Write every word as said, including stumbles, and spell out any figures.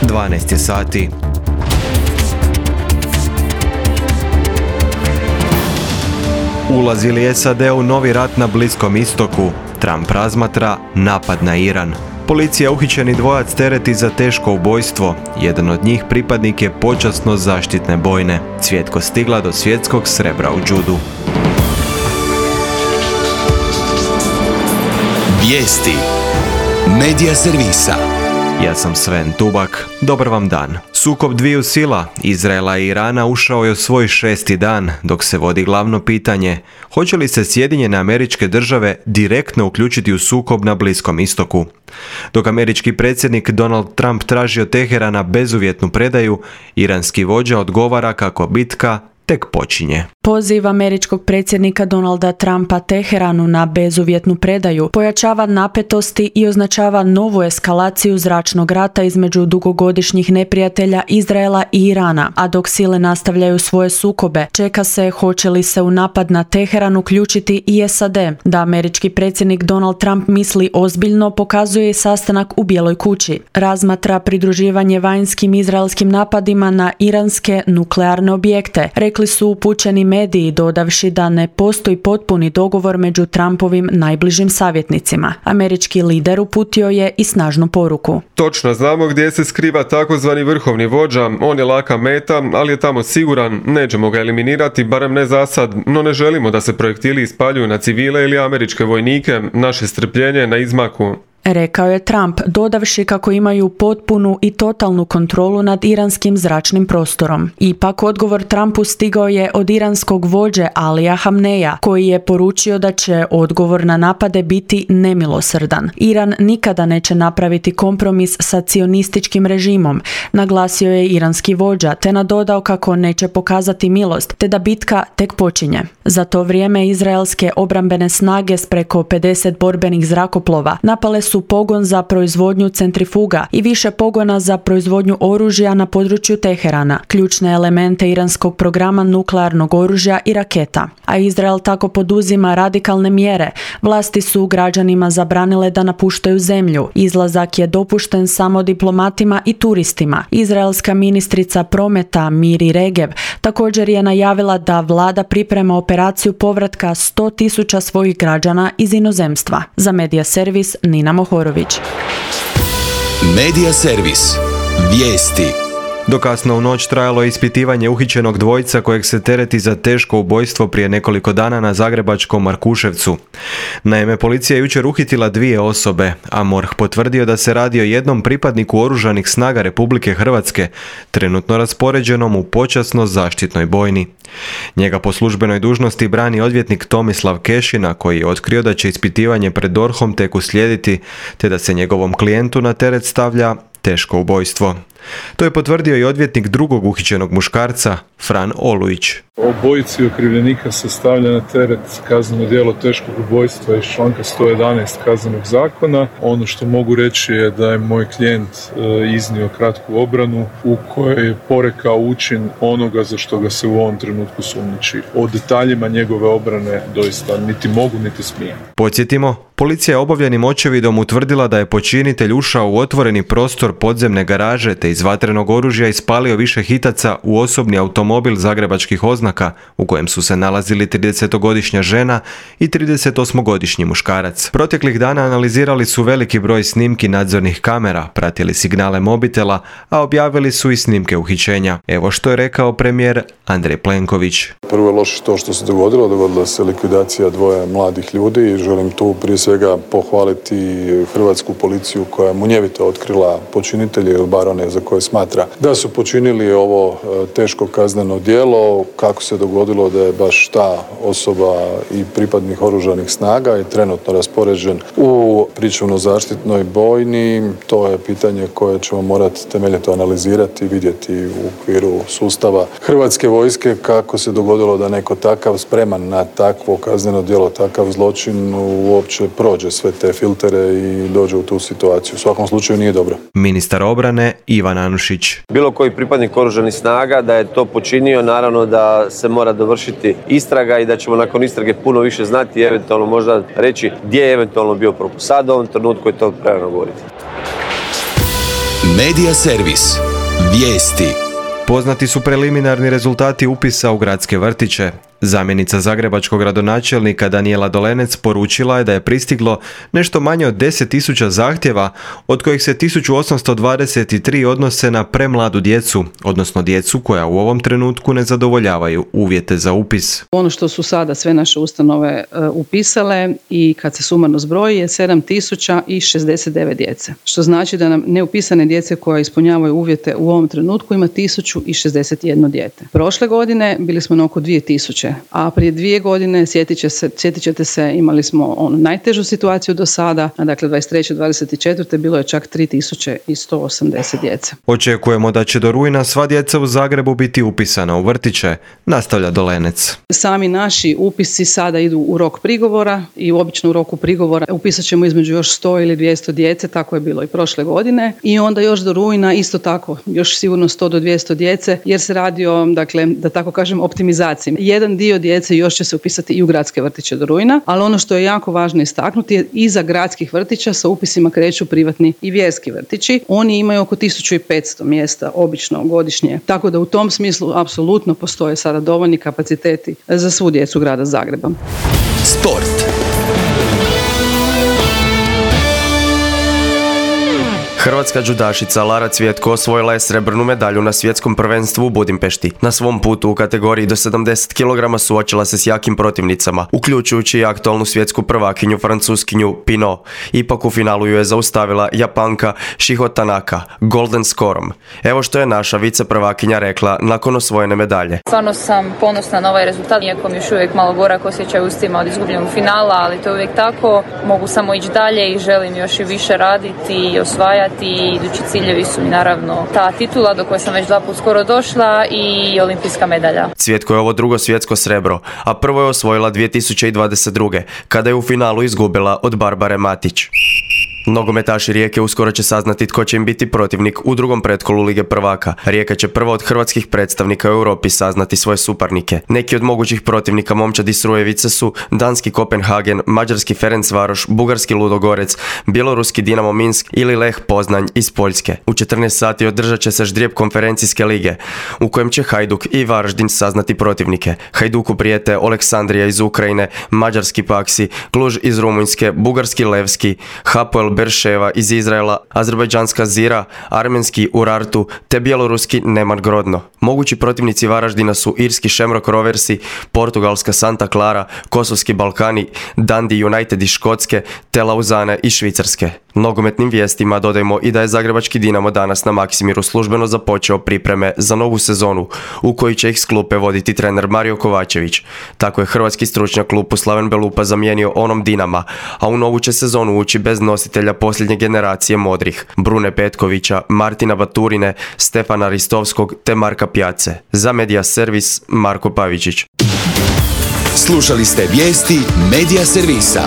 dvanaest je sati. Ulazi li S A D u novi rat na Bliskom istoku? Trump razmatra napad na Iran. Policija uhićeni dvojac tereti za teško ubojstvo. Jedan od njih pripadnik je počasno zaštitne bojne. Cvjetko stigla do svjetskog srebra u judu. Vijesti Medija servisa. Ja sam Sven Tubak. Dobar vam dan. Sukob dviju sila, Izraela i Irana, ušao je u svoj šesti dan, dok se vodi glavno pitanje: hoće li se Sjedinjene Američke Države direktno uključiti u sukob na Bliskom istoku? Dok američki predsjednik Donald Trump traži od Teherana bezuvjetnu predaju, iranski vođa odgovara kako bitka tek počinje. Poziv američkog predsjednika Donalda Trumpa Teheranu na bezuvjetnu predaju pojačava napetosti i označava novu eskalaciju zračnog rata između dugogodišnjih neprijatelja Izraela i Irana, a dok sile nastavljaju svoje sukobe, čeka se hoće li se u napad na Teheran uključiti i S A D. Da američki predsjednik Donald Trump misli ozbiljno pokazuje i sastanak u Bijeloj kući. Razmatra pridruživanje vanjskim izraelskim napadima na iranske nuklearne objekte, rekli su upućeni mediji, dodavši da ne postoji potpuni dogovor među Trumpovim najbližim savjetnicima. Američki lider uputio je i snažnu poruku. Točno znamo gdje se skriva takozvani vrhovni vođa, on je laka meta, ali je tamo siguran, nećemo ga eliminirati, barem ne za sad, no ne želimo da se projektili ispaljuju na civile ili američke vojnike, naše strpljenje je na izmaku. Rekao je Trump, dodavši kako imaju potpunu i totalnu kontrolu nad iranskim zračnim prostorom. Ipak odgovor Trumpu stigao je od iranskog vođe Alija Hamneja, koji je poručio da će odgovor na napade biti nemilosrdan. Iran nikada neće napraviti kompromis sa cionističkim režimom, naglasio je iranski vođa, te nadodao kako neće pokazati milost, te da bitka tek počinje. Za to vrijeme izraelske obrambene snage s preko pedeset borbenih zrakoplova napale su pogon za proizvodnju centrifuga i više pogona za proizvodnju oružja na području Teherana, ključne elemente iranskog programa nuklearnog oružja i raketa. A Izrael tako poduzima radikalne mjere. Vlasti su građanima zabranile da napuštaju zemlju. Izlazak je dopušten samo diplomatima i turistima. Izraelska ministrica prometa Miri Regev također je najavila da vlada priprema operaciju povratka sto tisuća svojih građana iz inozemstva. Za Medija servis Nina Mohorović. Medija servis. Vijesti. Do kasno u noć trajalo je ispitivanje uhićenog dvojca kojeg se tereti za teško ubojstvo prije nekoliko dana na zagrebačkom Markuševcu. Naime, policija je jučer uhitila dvije osobe, a MORH potvrdio da se radi o jednom pripadniku Oružanih snaga Republike Hrvatske, trenutno raspoređenom u počasno zaštitnoj bojni. Njega po službenoj dužnosti brani odvjetnik Tomislav Kešina, koji je otkrio da će ispitivanje pred D O R H-om tek uslijediti, te da se njegovom klijentu na teret stavlja teško ubojstvo. To je potvrdio i odvjetnik drugog uhićenog muškarca, Fran Olujić. Obojici okrivljenika se stavlja na teret kazneno djelo teškog ubojstva iz članka sto jedanaest Kaznenog zakona. Ono što mogu reći je da je moj klijent iznio kratku obranu u kojoj je porekao učin onoga za što ga se u ovom trenutku sumnjiči. O detaljima njegove obrane doista niti mogu niti smijem. Podsjetimo, policija je obavljenim očevidom utvrdila da je počinitelj ušao u otvoreni prostor podzemne garaže te iz vatrenog oružja ispalio više hitaca u osobni automobil zagrebačkih oznaka u kojem su se nalazili tridesetogodišnja žena i tridesetosmogodišnji muškarac. Proteklih dana analizirali su veliki broj snimki nadzornih kamera, pratili signale mobitela, a objavili su i snimke uhićenja. Evo što je rekao premijer Andrej Plenković. Prvo je loše to što se dogodilo, dogodila se likvidacija dvoje mladih ljudi i želim tu prije svega pohvaliti hrvatsku policiju koja je munjevito otkrila počinitelje ili bar one za koje smatra da su počinili ovo teško kazneno djelo. Kako se dogodilo da je baš ta osoba i pripadnik Oružanih snaga i trenutno raspoređen u pričuvno-zaštitnoj bojni, to je pitanje koje ćemo morati temeljito analizirati i vidjeti u okviru sustava Hrvatske vojske kako se dogodilo da neko takav spreman na takvo kazneno djelo, takav zločin uopće prođe sve te filtere i dođe u tu situaciju. U svakom slučaju nije dobro. Ministar obrane Ivan Anušić. Bilo koji pripadnik Oružanih snaga da je to počinio, naravno da se mora dovršiti istraga i da ćemo nakon istrage puno više znati i eventualno možda reći gdje je eventualno bio propust. Sad u ovom trenutku je to prerano govoriti. Medija servis. Vijesti. Poznati su preliminarni rezultati upisa u gradske vrtiće. Zamjenica zagrebačkog gradonačelnika Danijela Dolenec poručila je da je pristiglo nešto manje od deset tisuća zahtjeva, od kojih se tisuću osamsto dvadeset tri odnose na premladu djecu, odnosno djecu koja u ovom trenutku ne zadovoljavaju uvjete za upis. Ono što su sada sve naše ustanove uh, upisale i kad se sumarno zbroji je sedam tisuća šezdeset devet djece. Što znači da nam neupisane djece koja ispunjavaju uvjete u ovom trenutku ima tisuću šezdeset jedno dijete. Prošle godine bili smo na oko dvije tisuće. A prije dvije godine, sjetit, će se, sjetit ćete se, imali smo onu najtežu situaciju do sada, a dakle dvadeset treće dvadeset četvrte bilo je čak tri tisuće sto osamdeset djece. Očekujemo da će do rujna sva djeca u Zagrebu biti upisana u vrtiće, nastavlja Dolenec. Sami naši upisi sada idu u rok prigovora i obično u roku prigovora upisat ćemo između još sto ili dvjesto djece, tako je bilo i prošle godine. I onda još do rujna isto tako, još sigurno sto do dvjesto djece, jer se radi o, dakle, da tako kažem, optimizaciji. Jedan dio djece još će se upisati i u gradske vrtiće do rujna, ali ono što je jako važno istaknuti je iza gradskih vrtića sa upisima kreću privatni i vjerski vrtići. Oni imaju oko tisuću petsto mjesta obično godišnje, tako da u tom smislu apsolutno postoje sada dovoljni kapaciteti za svu djecu grada Zagreba. Sport. Hrvatska džudašica Lara Cvjetko osvojila je srebrnu medalju na svjetskom prvenstvu u Budimpešti. Na svom putu u kategoriji do sedamdeset kilograma suočila se s jakim protivnicama, uključujući i aktualnu svjetsku prvakinju francuskinju Pinot. Ipak u finalu ju je zaustavila Japanka Shiho Tanaka golden scorom. Evo što je naša viceprvakinja rekla nakon osvojene medalje. Stvarno sam ponosna na ovaj rezultat, iako mi još uvijek malo gorak osjećaj u ustima od izgubljenog finala, ali to je uvijek tako. Mogu samo ići dalje i želim još i više raditi i osvajati. I idući ciljevi su mi naravno ta titula do koje sam već dva put skoro došla i olimpijska medalja. Cvjetko je ovo drugo svjetsko srebro, a prvo je osvojila dvije tisuće dvadeset druge kada je u finalu izgubila od Barbare Matić. Nogometaši Rijeke uskoro će saznati tko će im biti protivnik u drugom pretkolu Lige prvaka. Rijeka će prvo od hrvatskih predstavnika u Europi saznati svoje suparnike. Neki od mogućih protivnika momčadi Srujevice su danski Kopenhagen, mađarski Ferencvaroš, bugarski Ludogorec, bjeloruski Dinamo Minsk ili Leh Poznanj iz Poljske. U četrnaest sati održat će se ždrijeb konferencijske lige, u kojem će Hajduk i Varaždin saznati protivnike. Hajduku prijete Aleksandrija iz Ukrajine, mađarski Paksi, Kluž iz Rumunjske, bugarski Levski, Hapoel Berševa iz Izraela, azerbajdžanska Zira, armenski Urartu te bjeloruski Neman Grodno. Mogući protivnici Varaždina su irski Shamrock Roversi, portugalska Santa Clara, kosovski Balkani, Dundee United iz Škotske te Lauzane iz Švicarske. Nogometnim vijestima dodajmo i da je zagrebački Dinamo danas na Maksimiru službeno započeo pripreme za novu sezonu u kojoj će ih s klupe voditi trener Mario Kovačević. Tako je hrvatski stručnjak klupu Slaven Belupa zamijenio onom Dinama, a u novu će sezonu ući bez nositelja posljednje generacije modrih, Brune Petkovića, Martina Baturine, Stefana Ristovskog te Marka Pjace. Za Medija servis Marko Pavičić. Slušali ste vijesti Medija servisa.